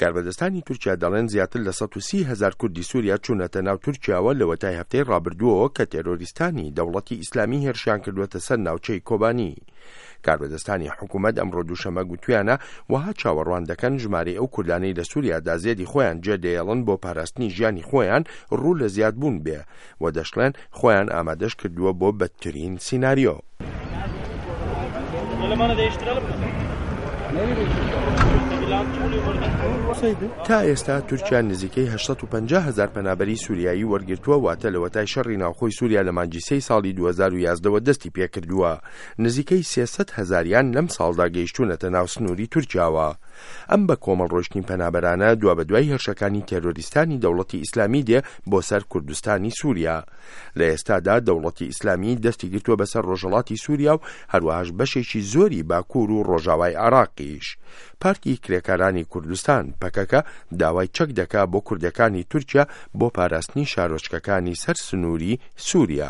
کاربەدەستانی تورکیا دەڵێن زیاتر لە 130 هەزار کوردی سووریا چوونەتە ناو تورکیاوە لەوەتای هەفتەی ڕابردووەوە کە تێرۆریستانی دەوڵەتی ئیسلامی هێرشیان کردووەتە سەر ناوچەی کۆبانی. کاربەدەستانی حکوومەت ئەمڕۆ دووشەمە گوتویانە وەها چاوەڕوان دەکەن ژمارەی ئەو کوردانەی لە سووریادا زێدی خۆیان جێدەیەڵن بۆ پاراستنی ژیانی خۆیان ڕوو لە زیادبوون بێ و دەشڵێن خۆیان ئامادەش کردووە بۆ بەدترین سیناریۆ. تا ئێستا تورکیا نزیکەی 850 هەزار پەنابەری سوریایی وەرگرتووە واتە لەوەتای شەڕی ناوخۆی سوریا لە مانگی سێی ساڵی 2011ەوە دەستی پێکردووە نزیکەی 300 هەزاریان لەم ساڵدا گەیشتوونەتە ناو سنووری تورکیاوە. ئەم بە کۆمەڵ ڕۆیشتنی پەنابەرانە دوابەدوای هێرشەکانی تێرۆریستانی دەوڵەتی ئیسلامی دێ بۆ سەر کوردستانی سووریا. لە ئێستادا دەوڵەتی ئیسلامی دەستی گرتووە بەسەر ڕۆژهەڵاتی سووریا و هەروەهاش بەشێکی زۆری باکوور و ڕۆژاوای عێراقیش. پارتی کرێکارانی کوردستان، پەکەکە، داوای چەک دەکا بۆ کوردەکانی تورکیا بۆ پاراستنی شارۆچکەکانی سەر سنووری سووریا.